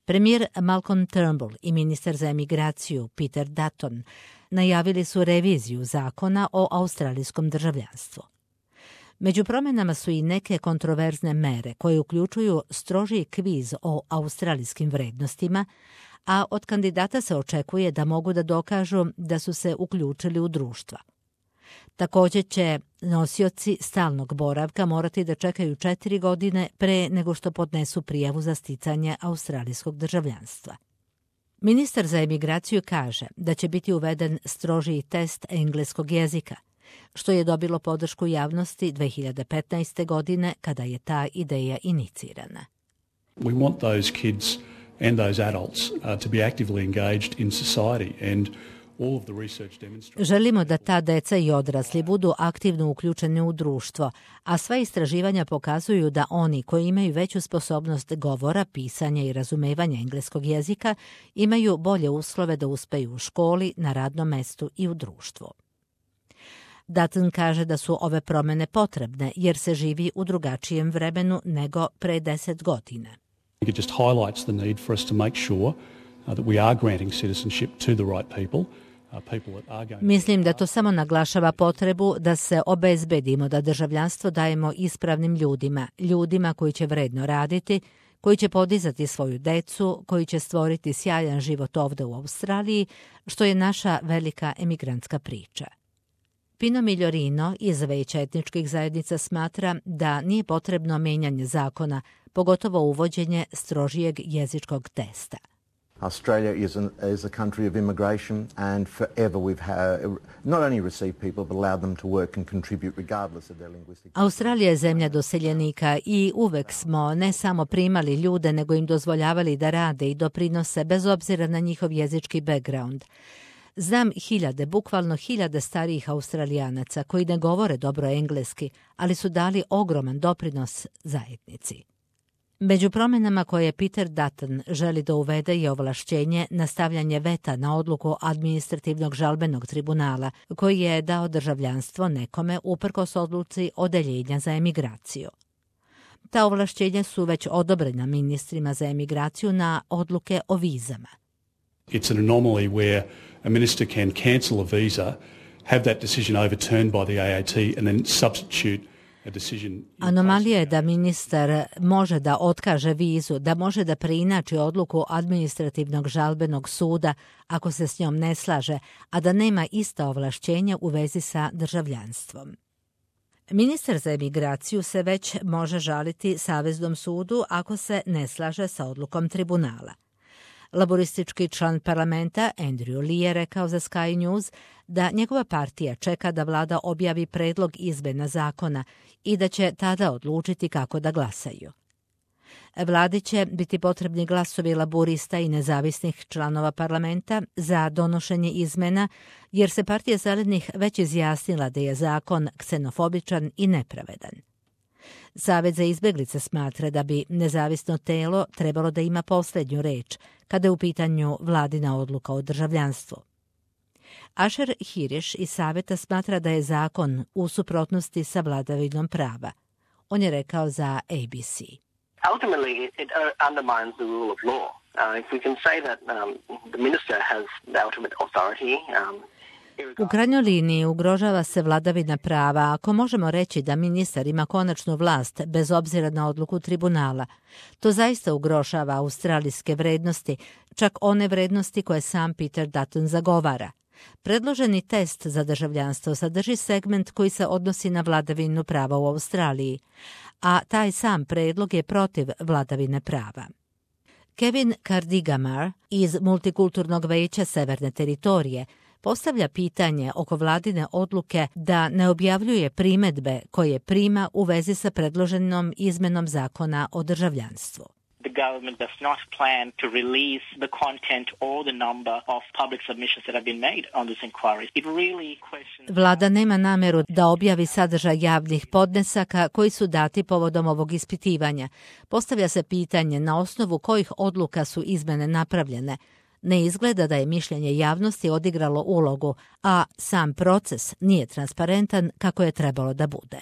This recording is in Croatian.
Premijer Malcolm Turnbull i ministar za emigraciju Peter Dutton najavili su reviziju zakona o australijskom državljanstvu. Među promjenama su i neke kontroverzne mere koje uključuju strožiji kviz o australijskim vrednostima, a od kandidata se očekuje da mogu da dokažu da su se uključili u društva. Također će nosioci stalnog boravka morati da čekaju 4 godine pre nego što podnesu prijavu za sticanje australijskog državljanstva. Ministar za emigraciju kaže da će biti uveden strožiji test engleskog jezika, što je dobilo podršku javnosti 2015. godine kada je ta ideja inicirana. We want those kids and those adults to be actively engaged in society and all of the research demonstrates. Želimo da ta deca i odrasli budu aktivno uključeni u društvo, a sva istraživanja pokazuju da oni koji imaju veću sposobnost govora, pisanja i razumevanja engleskog jezika imaju bolje uslove da uspeju u školi, na radnom mestu i u društvu. Dutton kaže da su ove promjene potrebne jer se živi u drugačijem vremenu nego pre 10 godina. It just highlights the need for us to make sure that we are granting citizenship to the right people. Mislim da to samo naglašava potrebu da se obezbedimo da državljanstvo dajemo ispravnim ljudima koji će vredno raditi, koji će podizati svoju decu, koji će stvoriti sjajan život ovdje u Australiji, što je naša velika emigrantska priča. Pino Migliorino iz Veća etničkih zajednica smatra da nije potrebno menjanje zakona, pogotovo uvođenje strožijeg jezičkog testa. Australia is a country of immigration and forever we've not only received people but allowed them to work and contribute regardless of their linguistic. Australija je zemlja doseljenika i uvek smo ne samo primali ljude nego im dozvoljavali da rade i doprinose bez obzira na njihov jezički background. Znam bukvalno hiljade starijih Australijanaca koji ne govore dobro engleski, ali su dali ogroman doprinos zajednici. Među promjenama koje Peter Dutton želi da uvede je ovlašćenje na stavljanje veta na odluku administrativnog žalbenog tribunala koji je dao državljanstvo nekome uprkos odluci odeljenja za emigraciju. Ta ovlašćenja su već odobrena ministrima za emigraciju na odluke o vizama. It's an anomaly where a minister can cancel a visa, have that decision overturned by the AAT and then substitute. Anomalija je da ministar može da otkaže vizu, da može da preinači odluku administrativnog žalbenog suda ako se s njom ne slaže, a da nema ista ovlašćenja u vezi sa državljanstvom. Ministar za emigraciju se već može žaliti Saveznom sudu ako se ne slaže sa odlukom tribunala. Laboristički član parlamenta Andrew Lee je rekao za Sky News da njegova partija čeka da vlada objavi predlog izmjena zakona i da će tada odlučiti kako da glasaju. Vladi će biti potrebni glasovi laborista i nezavisnih članova parlamenta za donošenje izmena, jer se partija zelenih već izjasnila da je zakon ksenofobičan i nepravedan. Savez za izbjeglice smatra da bi nezavisno telo trebalo da ima posljednju reč kada je u pitanju vladina odluka o državljanstvu. Asher Hirish iz Saveta smatra da je zakon u suprotnosti sa vladavinom prava. On je rekao za ABC. Ultimately, it undermines the rule of law. If we can say that the minister has the ultimate authority, u krajnjoj liniji ugrožava se vladavina prava ako možemo reći da ministar ima konačnu vlast bez obzira na odluku tribunala. To zaista ugrožava australijske vrednosti, čak one vrednosti koje sam Peter Dutton zagovara. Predloženi test za državljanstvo sadrži segment koji se odnosi na vladavinu prava u Australiji, a taj sam predlog je protiv vladavine prava. Kevin Cardigamar iz Multikulturnog veća Severne teritorije postavlja pitanje oko vladine odluke da ne objavljuje primedbe koje prima u vezi sa predloženom izmenom zakona o državljanstvu. The government does not plan to release the content or the number of public submissions that have been made on this inquiry. It really questions... Vlada nema nameru da objavi sadržaj javnih podnesaka koji su dati povodom ovog ispitivanja. Postavlja se pitanje na osnovu kojih odluka su izmene napravljene. Ne izgleda da je mišljenje javnosti odigralo ulogu, a sam proces nije transparentan kako je trebalo da bude.